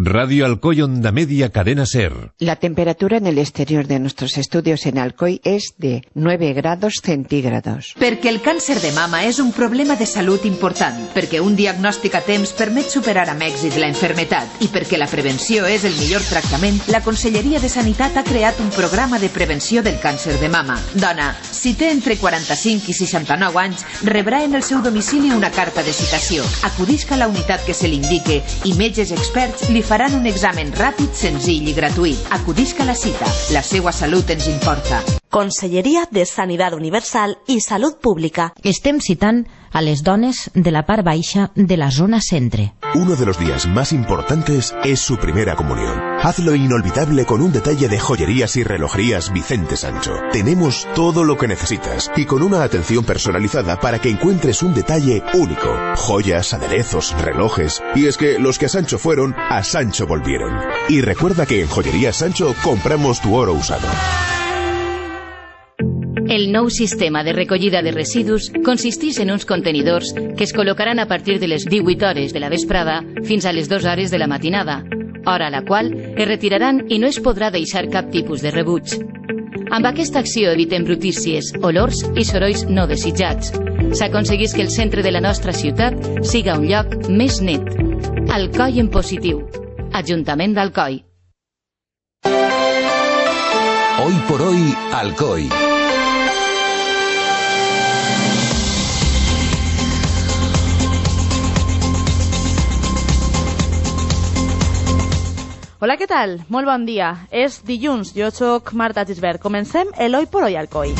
Radio Alcoy Onda Media Cadena Ser. La temperatura en el exterior de nuestros estudios en Alcoy es de 9 grados centígrados. Perquè el càncer de mama és un problema de salut important, perquè un diagnòstic a temps permet superar amb èxit la enfermetat i perquè la prevenció és el millor tractament, la Conselleria de Sanitat ha creat un programa de prevenció del càncer de mama. Dona, si té entre 45 i 69 anys, rebrà en el seu domicili una carta de citació. Acudisca a la unitat que se li indique i metges experts li faran un examen ràpid, senzill i gratuït. Acudisca a la cita. La seva salut ens importa. Conselleria de Sanitat Universal i Salut Pública. Estem citant a les dones de la part baixa de la zona centre. Uno de los días más importantes es su primera comunión. Hazlo inolvidable con un detalle de joyerías y relojerías Vicente Sancho. Tenemos todo lo que necesitas y con una atención personalizada para que encuentres un detalle único. Joyas, aderezos, relojes. Y es que los que a Sancho fueron, a Sancho volvieron. Y recuerda que en Joyerías Sancho compramos tu oro usado. El nou sistema de recollida de residus consisteix en uns contenidors que es col·locaran a partir de les 18 hores de la vesprada fins a les 2 hores de la matinada, hora a la qual es retiraran i no es podrà deixar cap tipus de rebuig. Amb aquesta acció evitem brutícies, olors i sorolls no desitjats. S'aconsegueix que el centre de la nostra ciutat siga un lloc més net. Alcoi en positiu. Ajuntament d'Alcoi. Hoy por hoy, Alcoi. Hola, què tal? Molt bon dia. És dilluns, jo sóc Marta Gisbert. Comencem el Hoy por Hoy Alcoi.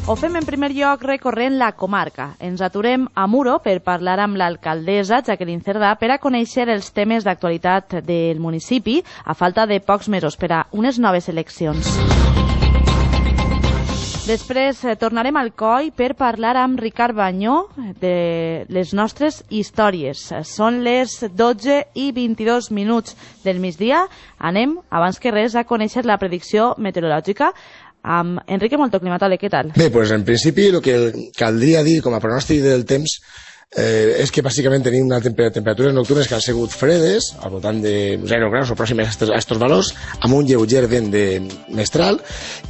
Ho fem en primer lloc recorrent la comarca. Ens aturem a Muro per parlar amb l'alcaldessa Jacqueline Cerdà per a conèixer els temes d'actualitat del municipi a falta de pocs mesos per a unes noves eleccions. Després tornarem al Alcoi per parlar amb Ricard Banyó de les nostres històries. Són les 12:22 del migdia. Anem, abans que res, a conèixer la predicció meteorològica amb Enrique Molto, climatòleg. Què tal? Bé, doncs en principi el que caldria dir com a pronòstic del temps és que bàsicament tenim unes temperatures nocturnes que han sigut fredes, al voltant de 0 graus o pròximes a aquests valors, amb un lleuger vent de mestral,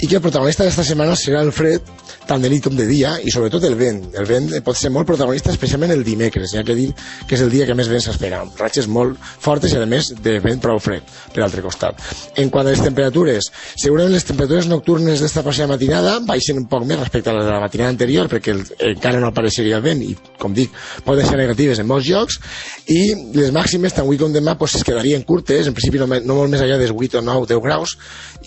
i que el protagonista d'esta setmana serà el fred, tant de nit com de dia, i sobretot el vent. El vent pot ser molt protagonista, especialment el dimecres, ja que dir que és el dia que més vent s'espera, amb ratxes molt fortes i a més de vent prou fred, per l'altre costat. En quant a les temperatures, segurament les temperatures nocturnes d'esta passada matinada baixen un poc més respecte a les de la matinada anterior, perquè encara no apareixeria el vent, i com dic, poden ser negatives en molts llocs, i les màximes tant avui com demà es quedarien curtes, en principi no molt més allà dels 8 o 9, 10 graus,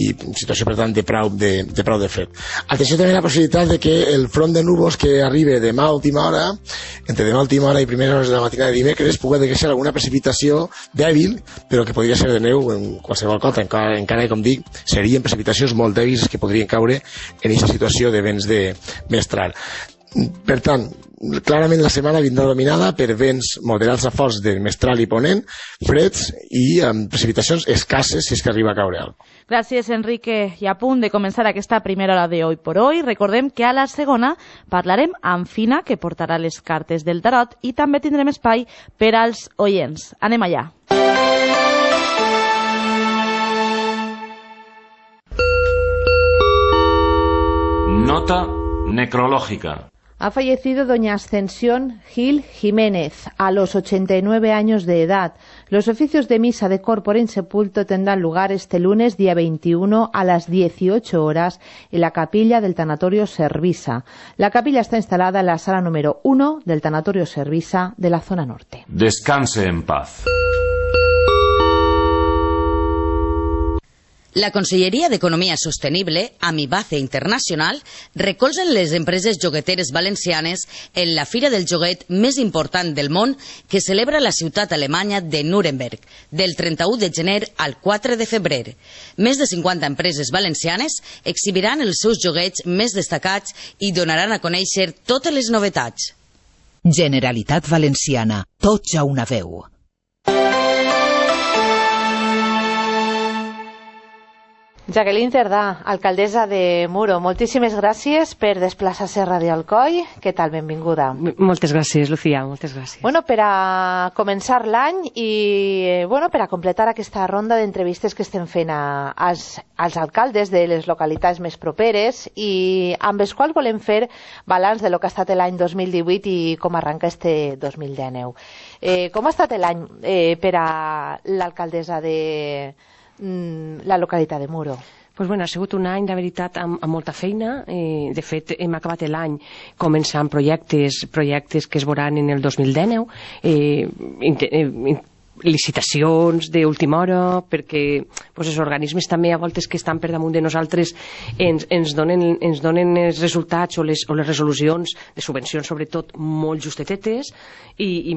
i situació per tant de prou de fred. Atenció també a la possibilitat de que el front de núvols que arriba demà a última hora, entre demà a última hora i primeres hores de la matinada de dimecres, pugui deixar alguna precipitació dèbil, però que podria ser de neu en qualsevol cosa, encara que, com dic, serien precipitacions molt dèbils que podrien caure en aquesta situació de vents de mestral. Per tant, clarament la setmana vindrà dominada per vents moderats a forts de mestral i ponent, freds i amb precipitacions escasses si és que arriba a caure alguna cosa. Gràcies, Enrique. I a punt de començar aquesta primera hora de Hoy por Hoy, recordem que a la segona parlarem amb Fina, que portarà les cartes del tarot, i també tindrem espai per als oients. Anem allà. Nota necrológica. Ha fallecido doña Ascensión Gil Jiménez a los 89 años de edad. Los oficios de misa de corpore insepulto tendrán lugar este lunes, día 21, a las 18 horas en la capilla del Tanatorio Servisa. La capilla está instalada en la sala número 1 del Tanatorio Servisa de la zona norte. Descanse en paz. La Conselleria d'Economia Sostenible, Amibace Internacional, recolzen les empreses jogueteres valencianes en la fira del joguet més important del món que celebra la ciutat alemanya de Nuremberg, del 31 de gener al 4 de febrer. Més de 50 empreses valencianes exhibiran els seus joguets més destacats i donaran a conèixer totes les novetats. Generalitat Valenciana, tots a una veu. Jacqueline Tardà, alcaldessa de Muro, moltíssimes gràcies per desplaçar-se a Ràdio Alcoi. Què tal? Benvinguda. Moltes gràcies, Lucía, moltes gràcies. Bueno, per a començar l'any i per a completar aquesta ronda d'entrevistes que estem fent als alcaldes de les localitats més properes i amb els quals volem fer balanç de lo que ha estat l'any 2018 i com arranca este 2019. Com ha estat l'any per a l'alcaldessa de la localitat de Muro? Pues bueno, ha sigut un any, de veritat, amb molta feina. De fet, hem acabat l'any començant projectes que es veuran en el 2019, licitacions d'última hora, perquè els organismes també a voltes que estan per damunt de nosaltres ens donen els resultats o les resolucions de subvencions, sobretot, molt justetetes, i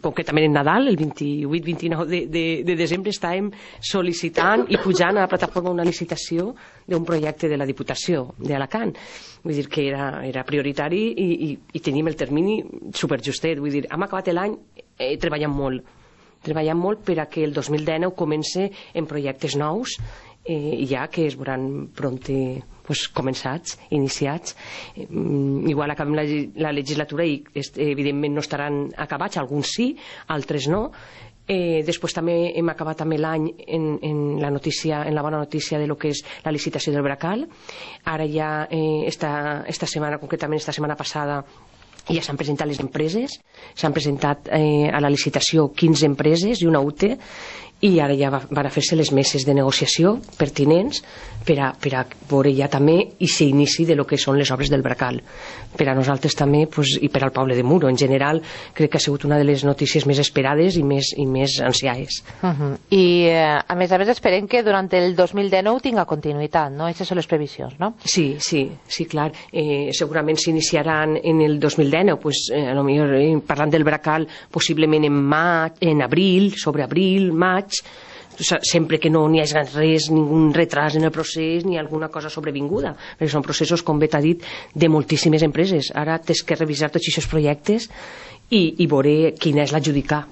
concretament en Nadal, el 28-29 de desembre, estàvem sol·licitant i pujant a la plataforma una licitació d'un projecte de la Diputació d'Alacant. Vull dir que era prioritari i tenim el termini superjustet. Vull dir, hem acabat l'any treballant molt per a que el 2019 comence en projectes nous, ja que es veuran prompte començats, iniciats. Igual acabem la legislatura i evidentment no estaran acabats, alguns sí, altres no. Després també hem acabat també l'any en la bona notícia de lo que és la licitació del Bracal. Ara ja esta setmana, concretament esta setmana passada, ja s'han presentat les empreses, s'han presentat a la licitació 15 empreses i una UTE, i ara ja van a fer-se les meses de negociació pertinents per a veure ja també i s'inici de lo que són les obres del Bracal. Per a nosaltres també, i per al poble de Muro en general, crec que ha sigut una de les notícies més esperades i més ansiades. I a més esperem que durant el 2019 tinga continuïtat, no? Aquestes són les previsions, no? Sí, clar. Segurament s'iniciaran en el 2019, parlant del Bracal, possiblement en abril, sobre abril, maig, sempre que no n'hi hagi res, ningun retras en el procés ni alguna cosa sobrevinguda, perquè són processos, com bé t'ha dit, de moltíssimes empreses. Ara tens que revisar tots aquests projectes i veure quina és adjudicar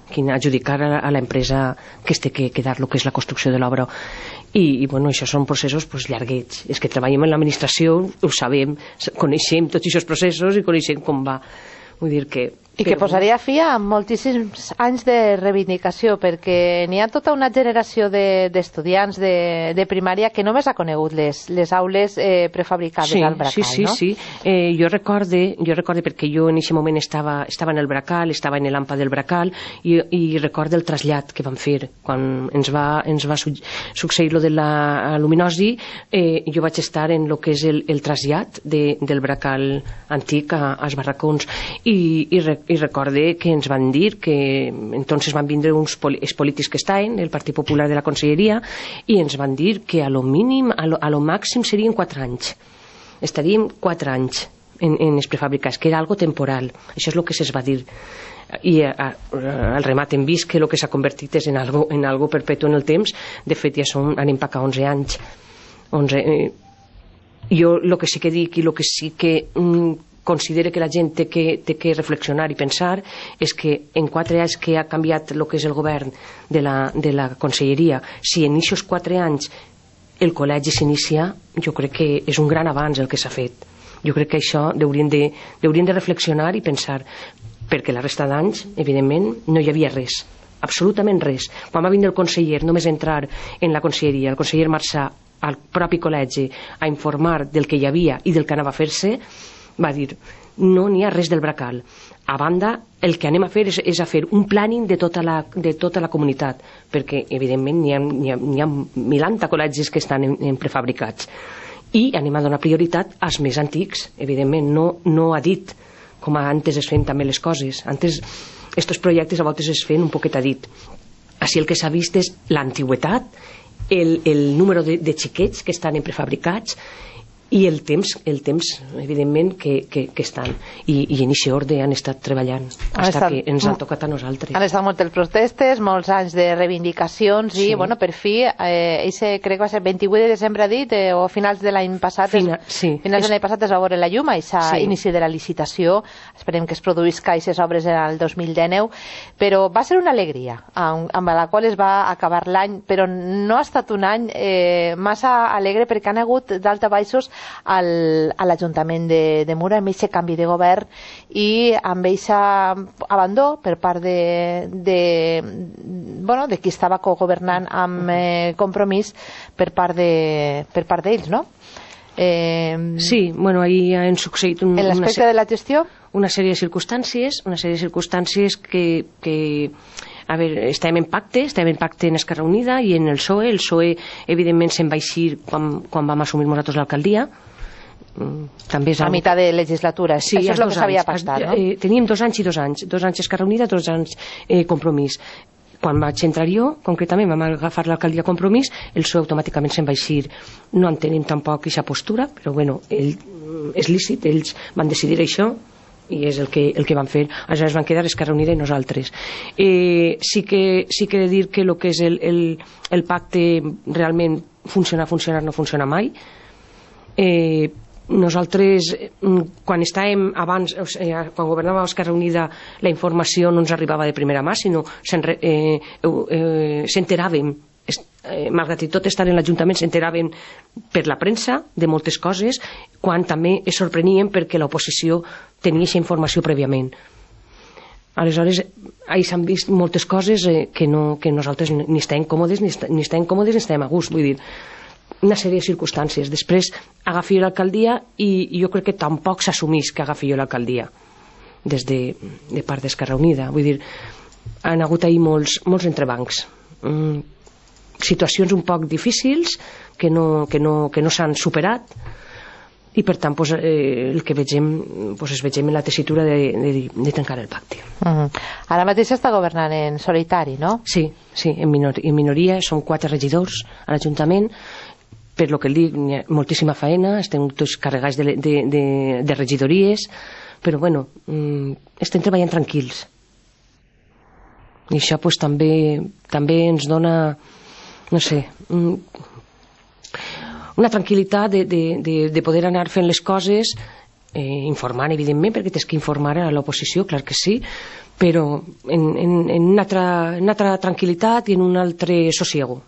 a l'empresa que es té que quedar el que és la construcció de l'obra. I això són processos llarguets. És que treballem en l'administració, ho sabem, coneixem tots aquests processos i coneixem com va. Vull dir que... I que posaria fi a moltíssims anys de reivindicació, perquè n'hi ha tota una generació d'estudiants de primària que només ha conegut les aules prefabricades al Bracal, no? Sí. Jo recorde, perquè jo en aquest moment estava en el Bracal, estava en l'AMPA del Bracal, i recorde el trasllat que vam fer quan ens va succeir lo de la luminosi. Jo vaig estar en el que és el trasllat del Bracal antic als barracons, i recorde que ens van dir que entonces van vindre els polítics que estaven, el Partit Popular de la Conselleria, i ens van dir que a lo mínim, a lo màxim serien 4 anys. Estaríem 4 anys en els prefabricats, que era algo temporal. Això és el que se'ns va dir. I al remat hem vist que el que s'ha convertit és en algo perpetu en el temps. De fet, ja anem per a 11 anys. Jo el que sí que dic i el que sí que considero que la gent té que reflexionar i pensar és que en 4 anys que ha canviat el que és el govern de la Conselleria, si en aquests 4 anys el col·legi s'inicia, jo crec que és un gran avanç el que s'ha fet. Jo crec que això haurien de reflexionar i pensar, perquè la resta d'anys, evidentment, no hi havia res, absolutament res. Quan va vindre el conseller, només entrar en la Conselleria, el conseller Marçà, al propi col·legi, a informar del que hi havia i del que anava a fer-se, va dir, no n'hi ha res del Bracal. A banda, el que anem a fer és a fer un planning de tota la comunitat, perquè evidentment n'hi ha 1000 col·legis que estan en prefabricats, i anem a donar prioritat als més antics. Evidentment no ha dit com antes es feien també les coses. Antes estos projectes a voltes es feien un poquet a dit. Així el que s'ha vist és l'antigüetat, el número de xiquets que estan en prefabricats, i el temps evidentment que estan i en aquest ordre han estat treballant fins que ens han tocat a nosaltres. Han estat moltes protestes, molts anys de reivindicacions i bueno, per fi crec que va ser 28 de desembre dit o finals de l'any passat finals de l'any passat es va veure la llum a inici de la licitació, esperem que es produïsca aquestes obres en el 2019, però va ser una alegria amb la qual es va acabar l'any, però no ha estat un any massa alegre perquè han hagut d'altabaixos a l'Ajuntament de Mura amb aquest canvi de govern i amb aquest abandó per part de qui estava cogovernant amb Compromís per part d'ells, no? Sí, bueno, ahí han succeït en l'aspecte de la gestió una sèrie de circumstàncies que a veure, estàvem en pacte en Esquerra Unida i en el PSOE evidentment se'n va eixir quan vam assumir nosaltres l'alcaldia, també és a meitat de legislatura, això és el que s'havia pactat, no? Teníem 2 anys i 2 anys, 2 anys Esquerra Unida, 2 anys Compromís. Quan vaig entrar jo, concretament vam agafar l'alcaldia Compromís, el PSOE automàticament se'n va eixir. No entenem tampoc aquesta postura, però bueno, és lícit, ells van decidir això i és el que van fer. Aleshores van quedar Esquerra Unida i nosaltres. Sí que he de dir que el que és el pacte realment funcionar no funciona mai. Nosaltres quan estàvem abans, quan governàvem Esquerra Unida, la informació no ens arribava de primera mà, sinó s'enteràvem, malgrat tot estar en l'Ajuntament, s'enteraven per la premsa de moltes coses, quan també es sorprenien perquè l'oposició tenia aquesta informació prèviament. Aleshores, ahí s'han vist moltes coses que nosaltres ni estem còmodes ni estem a gust, vull dir, una sèrie de circumstàncies. Després agafi l'alcaldia i jo crec que tampoc s'assumís que agafi l'alcaldia des de part d'Esquerra Unida. Vull dir, han hagut ahir molts entrebancs, situacions un poc difícils que no s'han superat i per tant el que vegem es vegem en la tessitura de tancar el pacte. Ara mateix està governant en solitari, no? Sí, en minoria, són 4 regidors a l'Ajuntament, per lo que dic, hi ha moltíssima feina, estem tots carregats de regidories, però bueno, estem treballant tranquils i això també ens dona, no sé, una tranquil·litat de poder anar fent les coses, informant evidentment, perquè tens que informar a l'oposició, clar que sí, però en una altra tranquil·litat i en un altre sosiego.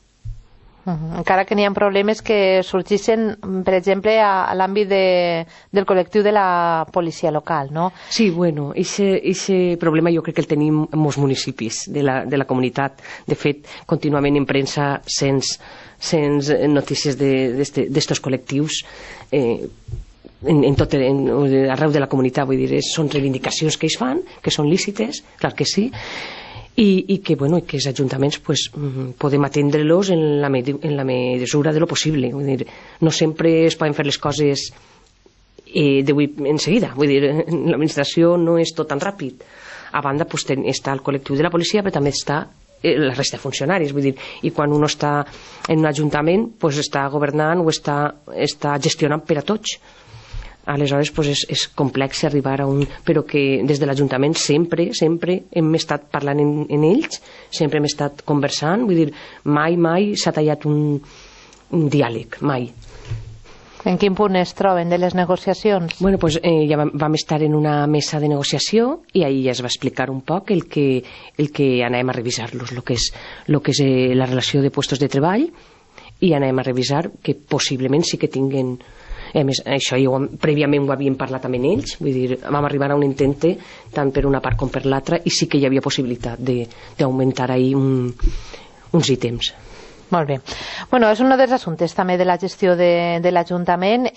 Encara que n'hi ha problemes que sorgissin, per exemple, a l'àmbit del col·lectiu de la policia local, no? Sí, bueno, aquest problema jo crec que el tenim en molts municipis de la comunitat. De fet, contínuament en premsa sents notícies d'estos col·lectius arreu de la comunitat, vull dir, són reivindicacions que ells fan, que són lícites, clar que sí, i que els ajuntaments podem atendre-los en la mesura de lo possible. Vull dir, no sempre es poden fer les coses d'avui en seguida, vull dir, l'administració no és tot tan ràpid. A banda està el col·lectiu de la policia, però també està la resta de funcionaris, vull dir, i quan un està en un ajuntament està governant o està gestionant per a tots. Aleshores és complex arribar a un... però que des de l'Ajuntament sempre hem estat parlant en ells, sempre hem estat conversant, vull dir, mai s'ha tallat un diàleg, mai. En quin punt es troben de les negociacions? Bueno, ja vam estar en una mesa de negociació i ahir ja es va explicar un poc el que anem a revisar-los, el que és la relació de puestos de treball, i anem a revisar que possiblement sí que tinguen... A més, això prèviament ho havíem parlat amb ells, vull dir, vam arribar a un intente tant per una part com per l'altra i sí que hi havia possibilitat d'augmentar ahir uns ítems. Molt bé. Bueno, és un dels assumptes també de la gestió de l'Ajuntament.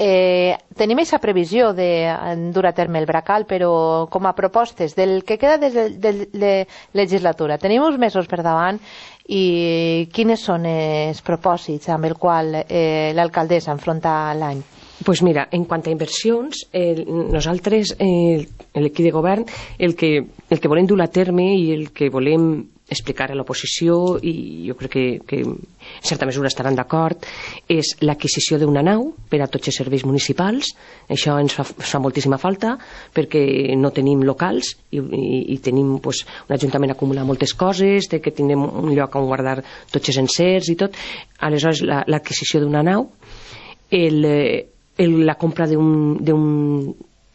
Tenim aquesta previsió de dur a terme el Bracal, però com a propostes del que queda de legislatura. Tenim uns mesos per davant i quines són els propòsits amb el qual l'alcaldessa enfronta l'any? Pues mira, en quant a inversions, nosaltres, l'equip de govern, el que volem dur a terme i el que volem explicar a l'oposició, i jo crec que en certa mesura estaran d'acord, és l'adquisició d'una nau per a tots els serveis municipals. Això ens fa moltíssima falta, perquè no tenim locals i tenim un ajuntament acumular moltes coses, que tinguem un lloc on guardar tots els encerts i tot. Aleshores, l'adquisició d'una nau, la compra d'un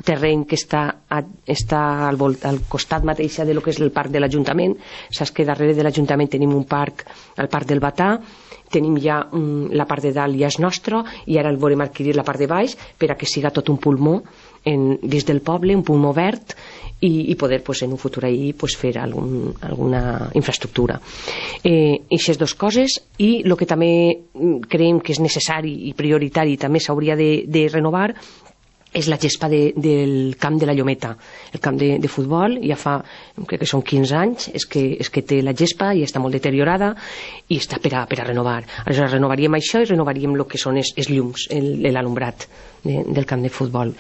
terreny que està al costat mateix de lo que és el parc de l'Ajuntament. Saps que darrere de l'Ajuntament tenim un parc, el parc del Batà, tenim ja la part de dalt ja és nostra, i ara el volem adquirir la part de baix per a que siga tot un pulmó dins del poble, un pulmó verd, i poder en un futur ahir fer alguna infraestructura. Aquestes dues coses, i el que també creiem que és necessari i prioritari, també s'hauria de renovar, és la gespa del camp de la Llometa. El camp de futbol ja fa, crec que són 15 anys, és que té la gespa i està molt deteriorada i està per a renovar. Aleshores renovaríem això i renovaríem el que són els llums, l'alumbrat del camp de futbol.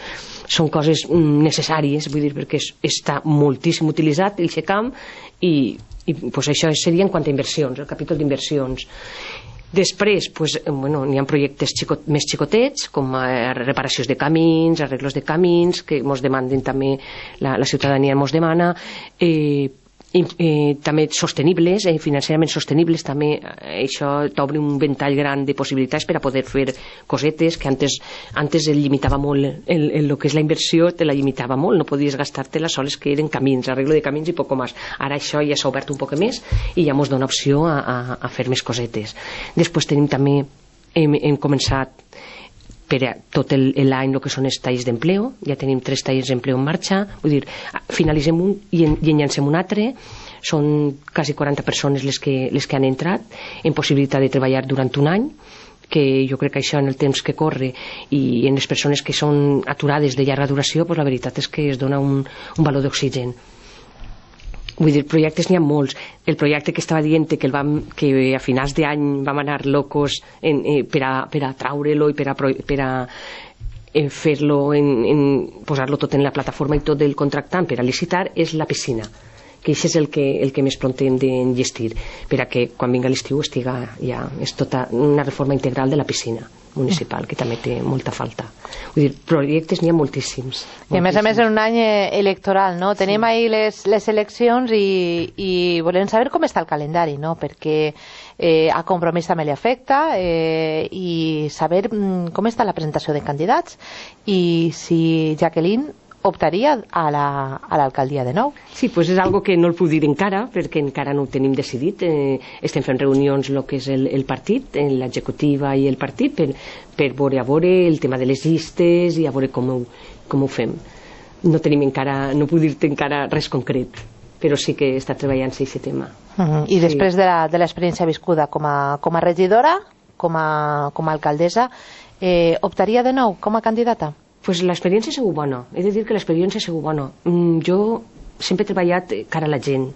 Són coses necessàries, vull dir, perquè està moltíssim utilitzat el camp, i això seria en quant a inversions, el capítol d'inversions. Després, n'hi ha projectes més xicotets, com reparacions de camins, arreglos de camins, que ens demanden també, la ciutadania ens demana, també sostenibles, financerament sostenibles, també això t'obre un ventall gran de possibilitats per a poder fer cosetes que antes el limitava molt, el que és la inversió te la limitava molt, no podies gastar-te-la soles que eren camins, arreglo de camins i poc més. Ara això ja s'ha obert un poc més i ja ens dona opció a fer més cosetes. Després tenim també, hem començat per a tot l'any el que són els talls d'empleo, ja tenim 3 talls d'empleo en marxa, vull dir, finalitzem un i en llancem un altre. Són quasi 40 persones les que han entrat en possibilitat de treballar durant un any, que jo crec que això en el temps que corre i en les persones que són aturades de llarga duració, la veritat és que es dona un valor d'oxigen. Vull dir, projectes n'hi ha molts. El projecte que estava dient que a finals d'any vam anar locos per a traure-lo i per a fer-lo, posar-lo tot en la plataforma i tot el contractant per a licitar, és la piscina, que això és el que més pront hem d'enllestir, per a que quan vinga l'estiu estiga ja, és tota una reforma integral de la piscina municipal, que també té molta falta. Vull dir, projectes n'hi ha moltíssims. I a més en un any electoral, no? Tenim ahir les eleccions i volem saber com està el calendari, no? Perquè a Compromís també li afecta, i saber com està la presentació de candidats i si Jacqueline optaria a l'alcaldia de nou. Sí, doncs és algo que no el puc dir encara, perquè encara no ho tenim decidit. Estem fent reunions el que és el partit, l'executiva i el partit, per veure el tema de les llistes i a veure com ho fem. No tenim encara, no puc dir-te encara res concret, però sí que està treballant-se aquest tema. I després de l'experiència viscuda com a regidora, com a alcaldessa, optaria de nou com a candidata? Pues l'experiència ha sigut bona, he de dir que l'experiència ha sigut bona. Jo sempre he treballat cara a la gent,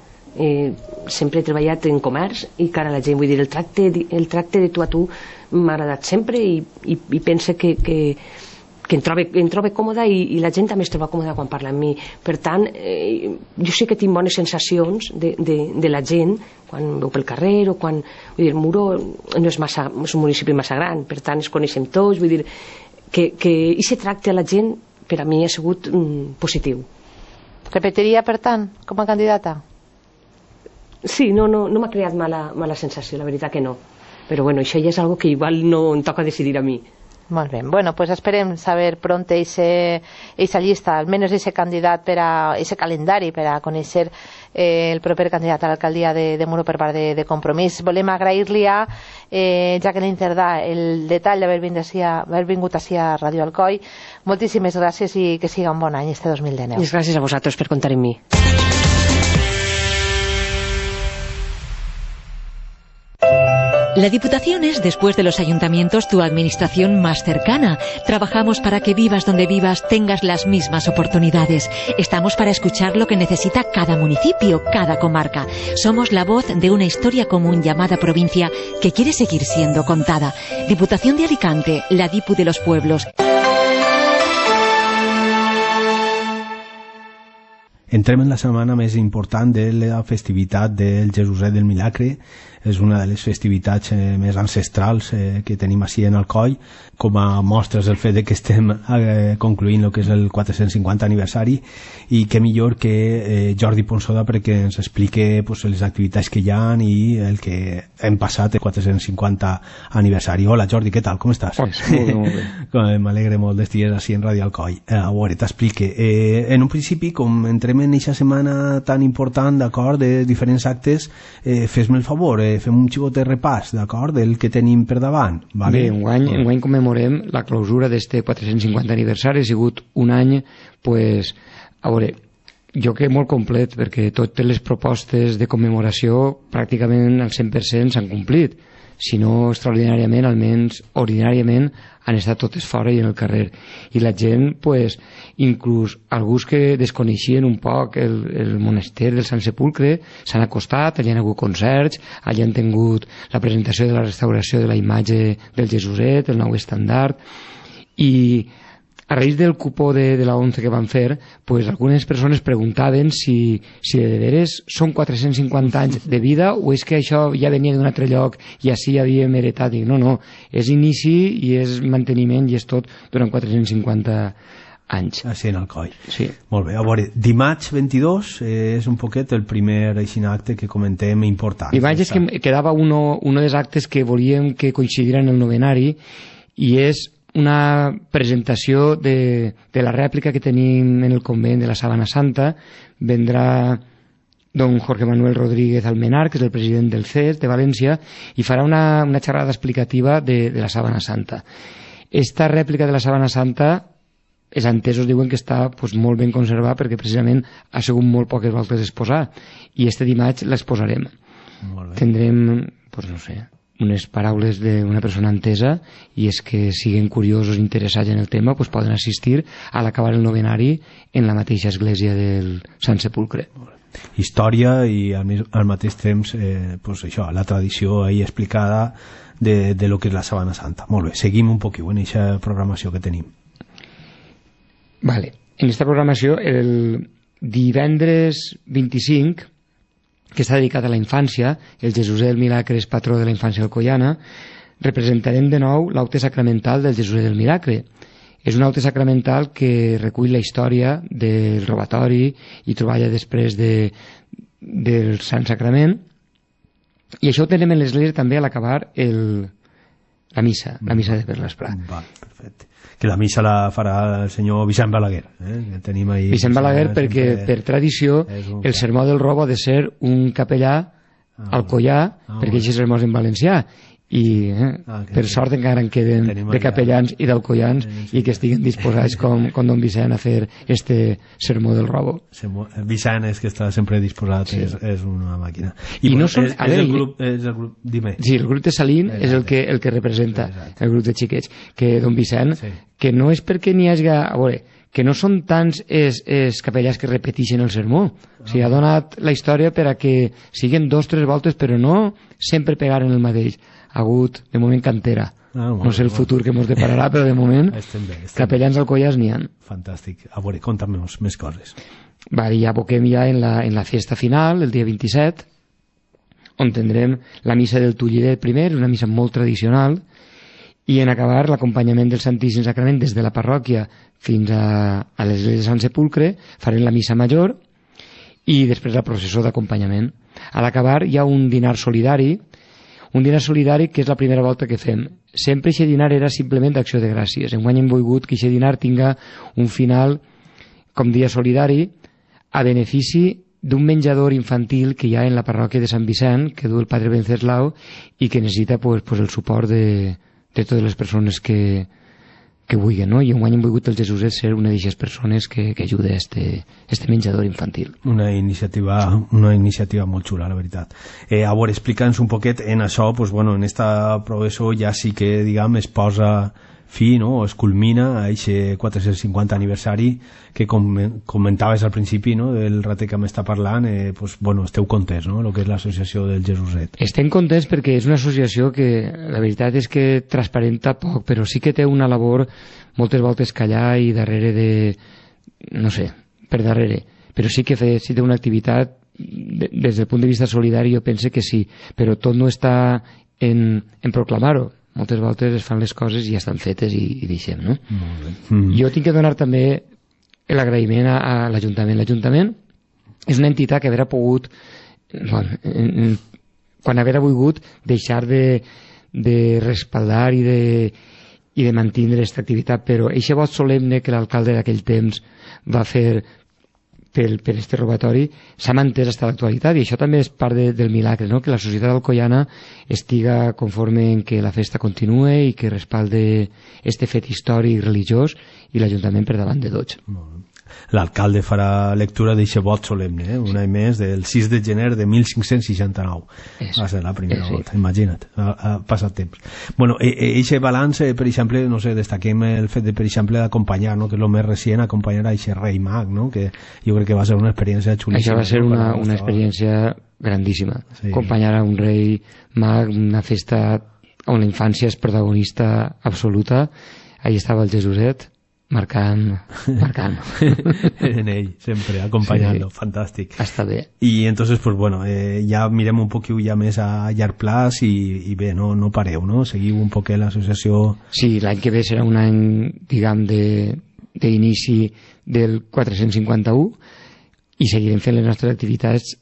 sempre he treballat en comerç i cara a la gent, vull dir, el tracte de tu a tu m'ha agradat sempre i pense que em trobo còmoda i la gent també es troba còmoda quan parla amb mi. Per tant, jo sí que tinc bones sensacions de la gent quan veu pel carrer o quan... Vull dir, Muro no és un municipi massa gran, per tant es coneixem tots, vull dir que aquest tracte a la gent per a mi ha sigut positiu. Repetiria, per tant, com a candidata? Sí, no m'ha creat mala sensació, la veritat que no. Però bueno, això ja és algo que igual no em toca decidir a mi. Molt bé, bueno, pues esperem saber pronto esa llista, almenys ese candidat ese calendari per a conèixer el proper candidat a l'alcaldia de Muro per part de Compromís. Volem agrair-li a Jacqueline Cerdà el detall d'haver vingut ací a Ràdio Alcoi. Moltíssimes gràcies i que siga un bon any este 2019. Gràcies a vosaltres per comptar amb mi. La Diputación es, después de los ayuntamientos, tu administración más cercana. Trabajamos para que vivas donde vivas, tengas las mismas oportunidades. Estamos para escuchar lo que necesita cada municipio, cada comarca. Somos la voz de una historia común llamada provincia que quiere seguir siendo contada. Diputación de Alicante, la Dipu de los pueblos. Entrem en la setmana més important de la festivitat del Jesuset del Milagre. És una de les festivitats més ancestrals que tenim així en Alcoi, com a mostres el fet que estem concluint el que és el 450 aniversari, i què millor que Jordi Ponsoda perquè ens explique les activitats que hi ha i el que hem passat el 450 aniversari. Hola Jordi, què tal? Com estàs? Molt bé. M'alegre molt d'estar així en Ràdio Alcoi. A veure, t'explique. En un principi, com entrem en aquesta setmana tan important, d'acord, de diferents actes, fes-me el favor, fem un xicot de repàs, d'acord, del que tenim per davant. Vale? Bé, enguany commemorem la clausura d'este 450 aniversari. Ha sigut un any, pues, a veure, jo crec molt complet, perquè totes les propostes de commemoració pràcticament al 100% s'han complit. Si no extraordinàriament, almenys ordinàriament, han estat totes fora i en el carrer. I la gent, pues, inclús alguns que desconeixien un poc el monestir del Sant Sepulcre, s'han acostat, allà han hagut concerts, allà han tingut la presentació de la restauració de la imatge del Jesuset, el nou estandard, i a raïs del cupó de la 11 que van fer, pues, algunes persones preguntaven si de veres són 450 anys de vida o és que això ja venia d'un altre lloc i així havíem heretat. I no, és inici i és manteniment i és tot durant 450 anys. Així en Alcoi. Sí. Molt bé, a veure, dimarts 22 és un poquet el primer acte que comentem important. Dimarts és que quedava un dels actes que volíem que coincidira en el novenari i és una presentació de la rèplica que tenim en el convent de la Sabana Santa. Vendrà don Jorge Manuel Rodríguez Almenar, que és el president del CES de València, i farà una xerrada explicativa de la Sabana Santa. Esta rèplica de la Sabana Santa, els entesos diuen que està molt ben conservada perquè precisament ha sigut molt poques voltes exposar, i este dimarts l'exposarem. Tindrem, no sé, unes paraules d'una persona entesa, i és que siguin curiosos interessats en el tema poden assistir a l'acabar el novenari en la mateixa església del Sant Sepulcre. Història i al mateix temps això, la tradició ahí explicada de lo que és la Sabana Santa. Molt bé, seguim un poquet en aquesta programació que tenim. Vale. En aquesta programació, el divendres 25, que està dedicat a la infància, el Jesuset del Milagre és patró de la infància alcoiana, representarem de nou l'aute sacramental del Jesuset del Milagre. És un aute sacramental que recull la història del robatori i treballa després del Sant Sacrament, i això ho tenem en l'església també a l'acabar la missa de per l'Esprat. Perfecte. Que la missa la farà el senyor Vicent Balaguer. Que tenim ahí Vicent Balaguer, perquè per tradició el sermó del robo ha de ser un capellà alcoià, perquè això és sermó en valencià, i per sort encara en queden de capellans i d'alcoians i que estiguen disposats com don Vicent a fer este sermó del robo. Vicent és que està sempre disposat, és una màquina. I no són... el grup, dime. Sí, el grup de Salín és el que representa el grup de xiquets, que don Vicent, que no és perquè n'hi hagi... A veure, que no són tants els capellans que repeteixen el sermó. O sigui, ha donat la història per a que siguin 2 o 3 voltes, però no sempre pegaren el mateix. Ha hagut, de moment, cantera. No sé el futur que ens depararà, però de moment capellans alcoians n'hi ha. Fantàstic. A veure, conta'm més coses. Ja aboquem ja en la fiesta final, el dia 27, on tindrem la missa del Tullidet primer, una missa molt tradicional, i en acabar l'acompanyament del Santíssim Sacrament des de la parròquia fins a l'església de Sant Sepulcre. Farem la missa major i després la processó d'acompanyament. A l'acabar hi ha un dinar solidari, que és la primera volta que fem. Sempre aquest dinar era simplement d'acció de gràcies. Enguany hem volgut que aquest dinar tinga un final com dia solidari a benefici d'un menjador infantil que hi ha en la parròquia de Sant Vicent, que du el padre Venceslau i que necessita el suport de totes les persones que vulguin, no? I enguany hem volgut el Jesuset ser una d'aquestes persones que ajuda a este menjador infantil. Una iniciativa molt xula, la veritat. A veure, explica'ns un poquet en això, en esta progressió ja sí que, es posa fi, no? O es culmina a aquest 450 aniversari que comentaves al principi, no? Del ratet que m'està parlant, esteu contents, no? El que és l'associació del Jesuset. Estem contents perquè és una associació que la veritat és que transparenta poc, però sí que té una labor moltes voltes callar i darrere de... no sé, per darrere. però sí que si té una activitat des del punt de vista solidari jo pense que sí, però tot no està en proclamar-ho. Moltes voltes es fan les coses i ja estan fetes i deixem, no? Jo tinc que donar també l'agraïment a l'Ajuntament. L'Ajuntament és una entitat que haurà pogut, quan haurà volgut, deixar de respaldar i de mantenir aquesta activitat, però aquest vot solemne que l'alcalde d'aquell temps va fer per este robatori s'ha mantès fins a l'actualitat, i això també és part del milagre, no? Que la societat alcoiana estiga conforme en que la festa continue i que respalde este fet històric religiós, i l'Ajuntament per davant de tots. L'alcalde farà lectura d'aquest vot solemne, un any més, del 6 de gener de 1569. Va ser la primera volta, imagina't, ha passat temps. Bueno, eixe balanç, per exemple, no sé, destaquem el fet de, per exemple, d'acompanyar, no? Que és el més recient, acompanyar a eixe rei mag, no? Que jo crec que va ser una experiència xulíssima. Això va ser una experiència grandíssima. Acompanyar a un rei mag, una festa on la infància és protagonista absoluta. Ahí estava el Jesuset, marcant en ell, sempre acompanyant-lo, fantàstic. Està bé. I entonces, pues bueno, ja mirem un poquet ja més a llarg plaç i bé, no pareu, no? Seguiu un poquet l'associació. Sí, l'any que ve serà un any, diguem, d'inici del 451 i seguirem fent les nostres activitats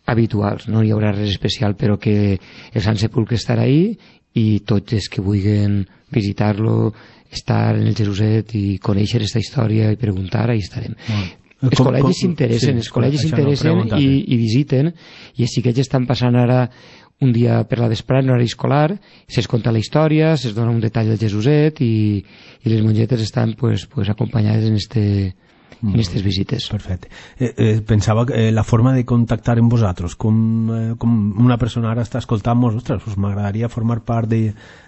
habituals, no hi haurà res especial, però que el Sant Sepulcre estarà ahí i tots els que vulguin visitar-lo, estar en el Jeruset i conèixer aquesta història i preguntar, ahí estarem. Els col·legis s'interessen, i visiten, i els xiquets estan passant ara un dia per la vesprada en horari escolar, se'ls conta la història, se'ls dona un detall del Jesuset i les mongetes estan acompanyades en aquestes visites. Perfecte. Pensava que la forma de contactar amb vosaltres, com una persona ara està escoltant-nos, ostres, m'agradaria formar part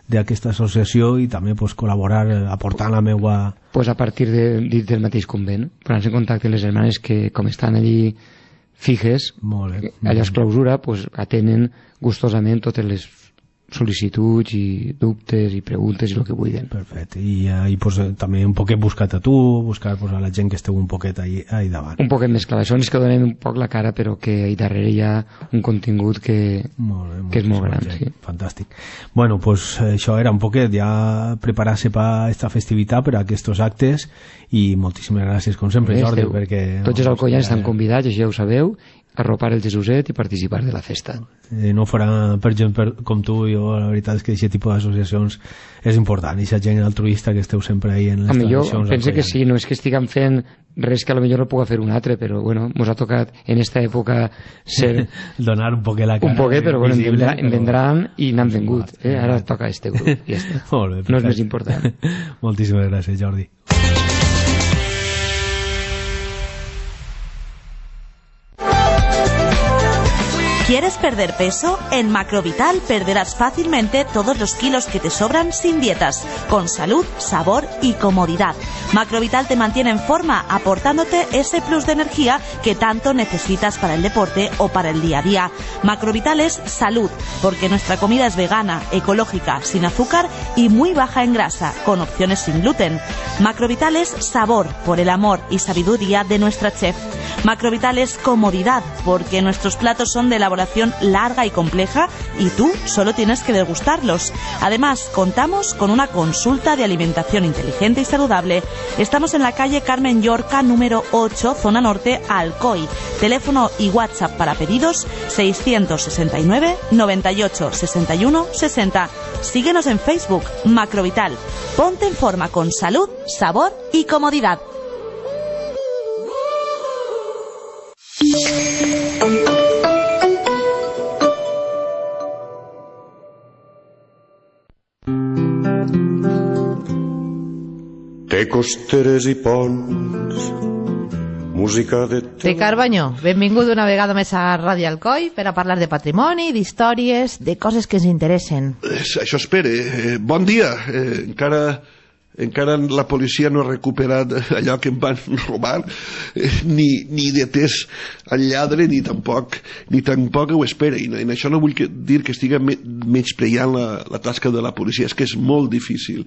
d'aquesta associació i també col·laborar aportant la meua... A partir del mateix convent, posant-se en contacte les germanes que, com estan allí fijes, allà es clausura, atenen gustosament totes les sol·licituds i dubtes i preguntes i el que vulguin. Perfecte. I també un poquet buscar a tu, buscar a la gent que esteu un poquet ahí davant. Un poquet més clar. Això és que donem un poc la cara, però que ahí darrere hi ha un contingut que és molt gran. Sí. Fantàstic. Bueno, pues això era un poquet ja preparar-se per aquesta festivitat, per a aquests actes, i moltíssimes gràcies, com sempre, Jordi, perquè... Tots els alcoians estan convidats, això ja ho sabeu, arropar el Jesuset i participar de la festa. No farà per gent com tu, la veritat és que aquest tipus d'associacions és important, i aquesta gent altruista que esteu sempre ahí en les tradicions. Jo penso que sí, no és que estiguem fent res que potser no puga fer un altre, però bueno, ens ha tocat en esta època ser... donar un poquet la cara. Un poquet, però bueno, en vendran i n'han vengut. Ara toca este grup, i ja està. No és més important. Moltíssimes gràcies, Jordi. ¿Quieres perder peso? En Macrovital perderás fácilmente todos los kilos que te sobran sin dietas, con salud, sabor y comodidad. Macrovital te mantiene en forma, aportándote ese plus de energía que tanto necesitas para el deporte o para el día a día. Macrovital es salud, porque nuestra comida es vegana, ecológica, sin azúcar y muy baja en grasa, con opciones sin gluten. Macrovital es sabor, por el amor y sabiduría de nuestra chef. Macrovital es comodidad, porque nuestros platos son de elaboración larga y compleja y tú solo tienes que degustarlos. Además, contamos con una consulta de alimentación inteligente y saludable. Estamos en la calle Carmen Llorca, número 8, zona norte, Alcoy. Teléfono y WhatsApp para pedidos 669 98 61 60. Síguenos en Facebook, Macrovital. Ponte en forma con salud, sabor y comodidad. Té costeres i ponts, música de... Té Carbanyo, benvingut una vegada més a Ràdio Alcoi per a parlar de patrimoni, d'històries, de coses que ens interessen. Això espere. Bon dia. Encara la policia no ha recuperat allò que em van robar, ni detès el lladre, ni tampoc ho espera. I en això no vull dir que estigui menyspreant la tasca de la policia, és que és molt difícil.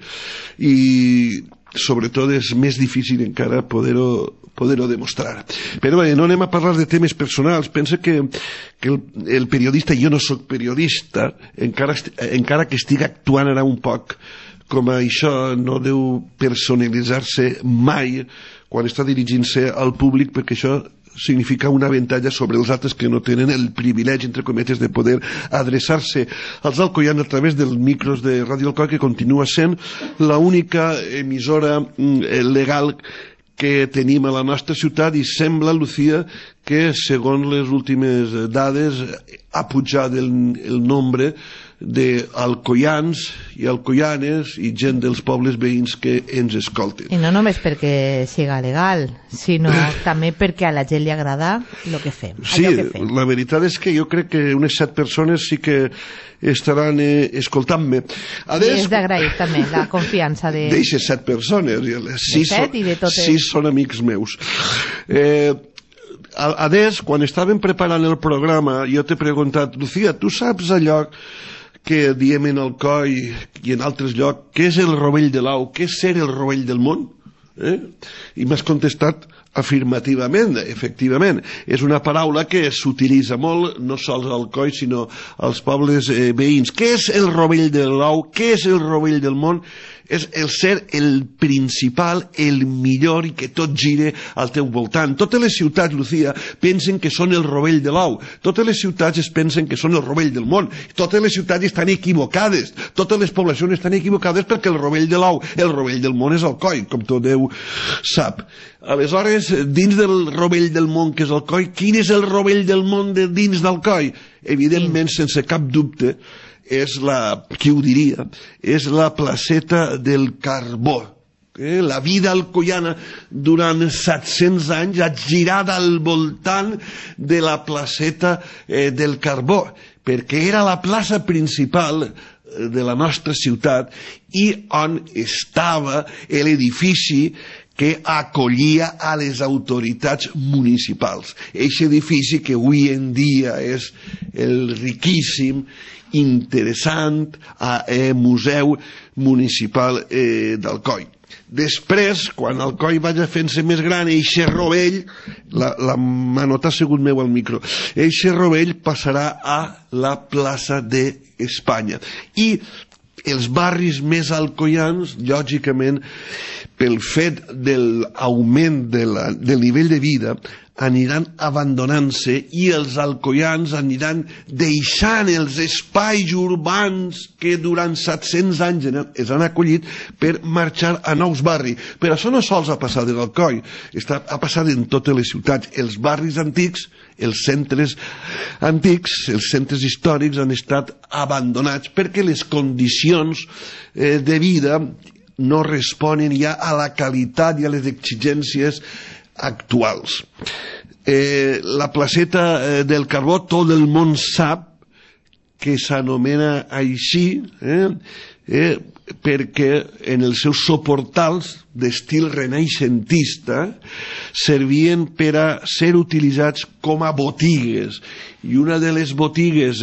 I sobretot és més difícil encara poder-ho demostrar. Però bé, no anem a parlar de temes personals. Pensa que el periodista, jo no sóc periodista, encara que estic actuant ara un poc com a això, no deu personalitzar-se mai quan està dirigint-se al públic, perquè això significa un avantatge sobre els altres que no tenen el privilegi, entre cometes, de poder adreçar-se als alcoians a través dels micros de Ràdio Alcoi, que continua sent l'única emissora legal que tenim a la nostra ciutat, i sembla, Lucía, que segons les últimes dades ha pujat el nombre d'alcoians i alcoianes i gent dels pobles veïns que ens escolten. I no només perquè siga legal, sinó també perquè a la gent li agrada el que fem. Sí, la veritat és que jo crec que unes 7 persones sí que estaran escoltant-me. I és d'agrair també la confiança de... D'eixes 7 persones. 6 són amics meus. Adés, quan estàvem preparant el programa, jo t'he preguntat, Lucía, tu saps allò que diem en Alcoi i en altres llocs, què és el rovell de l'au, què és ser el rovell del món? I m'has contestat afirmativament, efectivament. És una paraula que s'utilitza molt, no sols a Alcoi, sinó als pobles veïns. Què és el rovell de l'au? Què és el rovell del món? És el ser el principal, el millor, i que tot gire al teu voltant. Totes les ciutats, Lucía, pensen que són el rovell de l'au. Totes les ciutats es pensen que són el rovell del món. Totes les ciutats estan equivocades. Totes les poblacions estan equivocades perquè el rovell de l'au, el rovell del món és Alcoi, com tot Déu sap. Aleshores, dins del rovell del món que és Alcoi, quin és el rovell del món de dins d'Alcoi? Evidentment, sense cap dubte, és qui ho diria, és la placeta del Carbó. La vida alcoiana durant 700 anys ha girat al voltant de la placeta del Carbó, perquè era la plaça principal de la nostra ciutat i on estava l'edifici que acollia a les autoritats municipals. Aquest edifici que avui en dia és el riquíssim, interessant Museu Municipal d'Alcoi. Després, quan Alcoi vagi fent-se més gran, eixe rovell, m'ha notat segut meu al micro, eixe rovell passarà a la plaça d'Espanya. I els barris més alcoians, lògicament, pel fet de l'augment del nivell de vida, aniran abandonant-se i els alcoians aniran deixant els espais urbans que durant 700 anys es han acollit per marxar a nous barris. Però això no sols ha passat en Alcoi, ha passat en totes les ciutats. Els barris antics, els centres antics, els centres històrics han estat abandonats perquè les condicions de vida no responen ja a la qualitat i a les exigències actuals. La placeta del Carbó, tot el món sap que s'anomena així perquè en els seus soportals d'estil renaixentista servien per a ser utilitzats com a botigues, i una de les botigues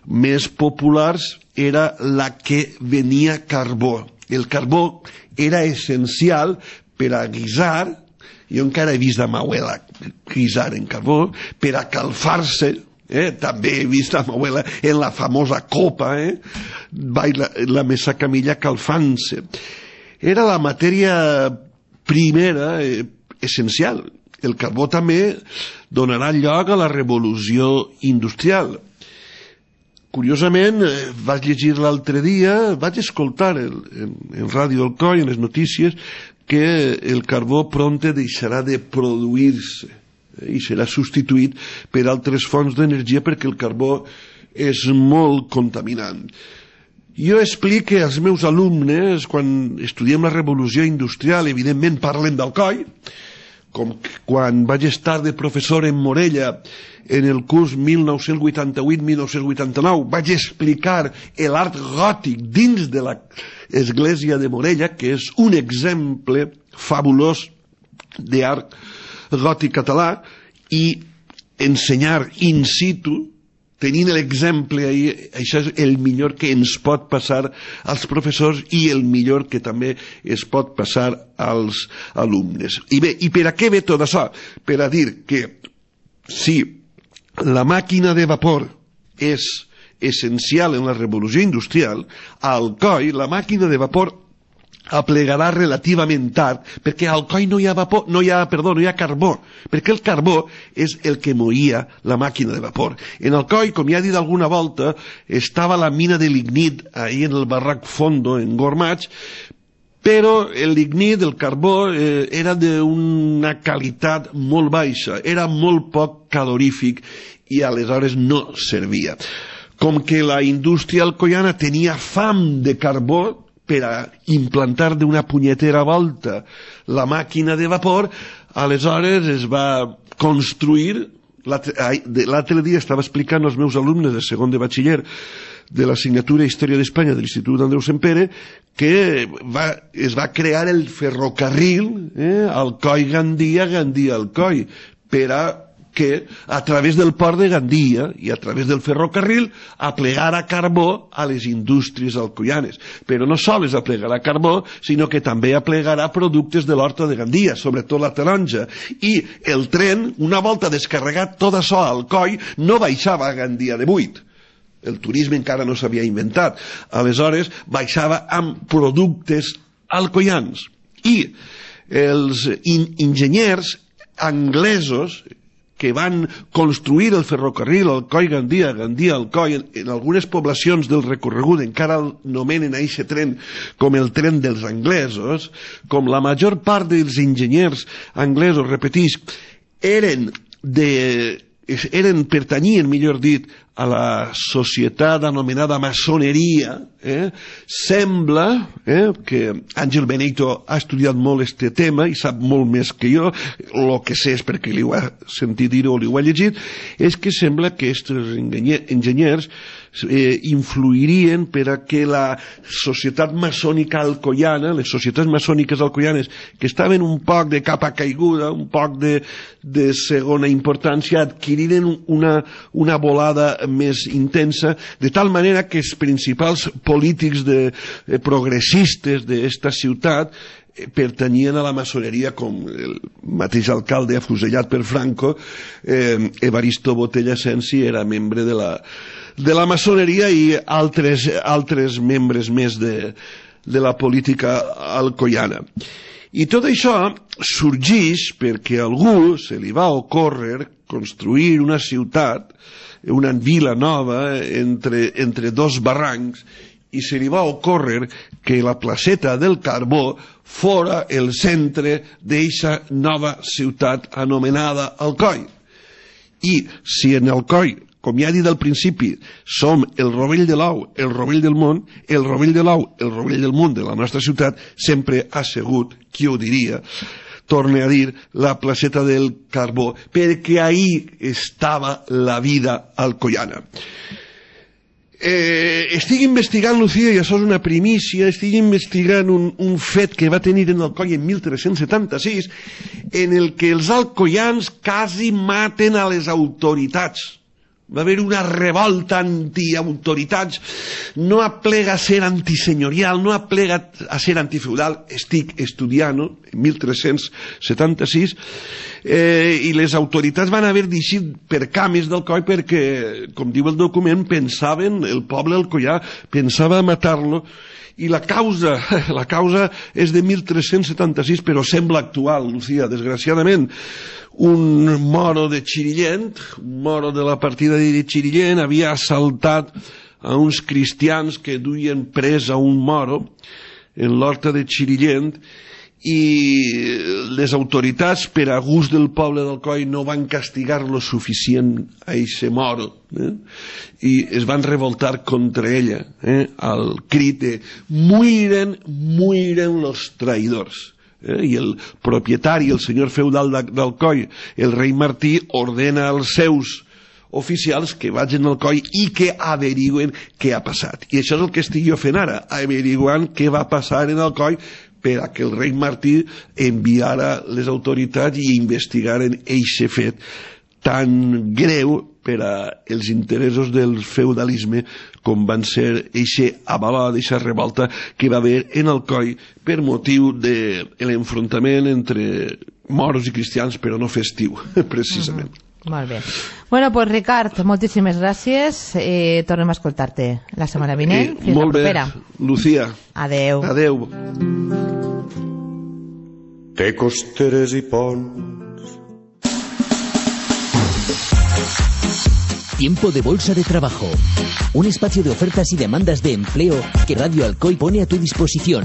més populars era la que venia carbó. El carbó era essencial per a guisar. Jo encara he vist a Mauela guisar en carbó, per a calfar-se, també he vist a Mauela en la famosa copa, la mesa camilla calfant-se. Era la matèria primera essencial. El carbó també donarà lloc a la revolució industrial. Curiosament, vaig llegir l'altre dia, vaig escoltar en Ràdio Alcoi, en les notícies, que el carbó prompte deixarà de produir-se i serà substituït per altres fonts d'energia perquè el carbó és molt contaminant. Jo explico als meus alumnes, quan estudiem la revolució industrial, evidentment parlem d'Alcoi, com quan vaig estar de professor en Morella en el curs 1988-1989, vaig explicar l'art gòtic dins de l'església de Morella, que és un exemple fabulós d'art gòtic català, i ensenyar in situ tenint l'exemple ahir, això és el millor que ens pot passar als professors i el millor que també es pot passar als alumnes. I bé, i per a què ve tot això? Per a dir que si la màquina de vapor és essencial en la revolució industrial, a Alcoi la màquina de vapor aplegarà relativament tard, perquè a Alcoi no hi ha carbó, perquè el carbó és el que moïa la màquina de vapor. En Alcoi, com ja he dit alguna volta, estava la mina de lignit ahí en el barrac Fondo, en Gormach, però el lignit, el carbó, era d'una qualitat molt baixa, era molt poc calorífic i aleshores no servia. Com que la indústria alcoiana tenia fam de carbó, per a implantar d'una punyetera volta la màquina de vapor, aleshores es va construir, l'altre dia estava explicant als meus alumnes de segon de batxiller de l'assignatura Història d'Espanya de l'Institut Andreu Sempere, que es va crear el ferrocarril Alcoi-Gandia, Gandia-Alcoi, per a que a través del port de Gandia i a través del ferrocarril aplegarà carbó a les indústries alcoianes. Però no sols aplegarà carbó, sinó que també aplegarà productes de l'horta de Gandia, sobretot la taronja. I el tren, una volta descarregat tot això a Alcoi, no baixava a Gandia de buit. El turisme encara no s'havia inventat. Aleshores, baixava amb productes alcoians. I els enginyers anglesos que van construir el ferrocarril Alcoi-Gandia, Gandia-Alcoi, en algunes poblacions del recorregut encara el nomenen a aquest tren com el tren dels anglesos, com la major part dels enginyers anglesos, repetisc, pertanyien, millor dit, a la societat anomenada maçoneria, sembla que Àngel Benito ha estudiat molt este tema i sap molt més que jo, el que sé és perquè li ho ha sentit dir o li ho ha llegit, és que sembla que aquests enginyers influirien per a que la societat maçònica alcoiana, les societats maçòniques alcoianes que estaven un poc de capa caiguda, un poc de segona importància, adquiriren una volada més intensa, de tal manera que els principals polítics progressistes d'esta ciutat pertanyien a la maçoneria, com el mateix alcalde afusellat per Franco, Evaristo Botella Sensi, era membre de la maçoneria, i altres membres més de la política alcoiana. I tot això sorgeix perquè a algú se li va ocórrer construir una ciutat, una vila nova entre dos barrancs, i se li va ocórrer que la placeta del Carbó fora el centre d'eixa nova ciutat anomenada Alcoi. I si en Alcoi, com ja he dit al principi, som el rovell de l'ou, el rovell del món, el rovell de l'ou, el rovell del món de la nostra ciutat, sempre ha sigut, qui ho diria, torne a dir, la placeta del Carbó, perquè ahí estava la vida alcoiana. Estic investigant, Lucía, i això és una primícia, estic investigant un fet que va tenir en Alcoi en 1376, en el que els alcoians quasi maten a les autoritats. Va haver una revolta antiautoritats, no aplega a ser antisenyorial, no aplega a ser antifeudal, estic estudiant, en 1376, i les autoritats van haver d'eixir per cames d'Alcoi perquè, com diu el document, pensaven, el poble alcoià pensava matar-lo, i la causa és de 1376, però sembla actual, Lucía, desgraciadament. Un moro de Xirillent, un moro de la partida de Xirillent, havia assaltat a uns cristians que duien pres a un moro en l'horta de Xirillent, i les autoritats, per a gust del poble d'Alcoi, no van castigar lo suficient a eixe moro, i es van revoltar contra ella, al crit de muiren los traïdors. I el propietari, el senyor feudal d'Alcoi, el rei Martí, ordena als seus oficials que vagin al Alcoi i que averigüen què ha passat. I això és el que estic jo fent ara, averiguant què va passar en Alcoi, per a que el rei Martí enviara les autoritats i investigaren eixe fet tan greu per a els interessos del feudalisme, com van ser eixe avalot, eixa revolta que va haver en Alcoi per motiu de l'enfrontament entre moros i cristians, però no festiu, precisament. Molt bé. Bueno, pues Ricard, moltíssimes gràcies. Tornem a escoltar-te la setmana vinent. Fins la propera. Molt bé, Lucía. Adeu. Adeu. Té costeres i ponts. Tiempo de Bolsa de Trabajo, un espacio de ofertas y demandas de empleo que Radio Alcoy pone a tu disposición.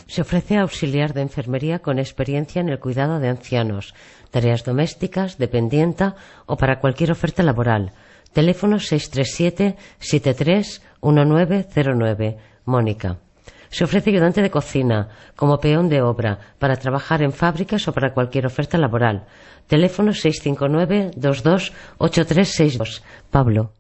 Se ofrece auxiliar de enfermería con experiencia en el cuidado de ancianos, tareas domésticas, dependienta o para cualquier oferta laboral. Teléfono 637-73-1909. Mónica. Se ofrece ayudante de cocina, como peón de obra, para trabajar en fábricas o para cualquier oferta laboral. Teléfono 659-22-8362. Pablo.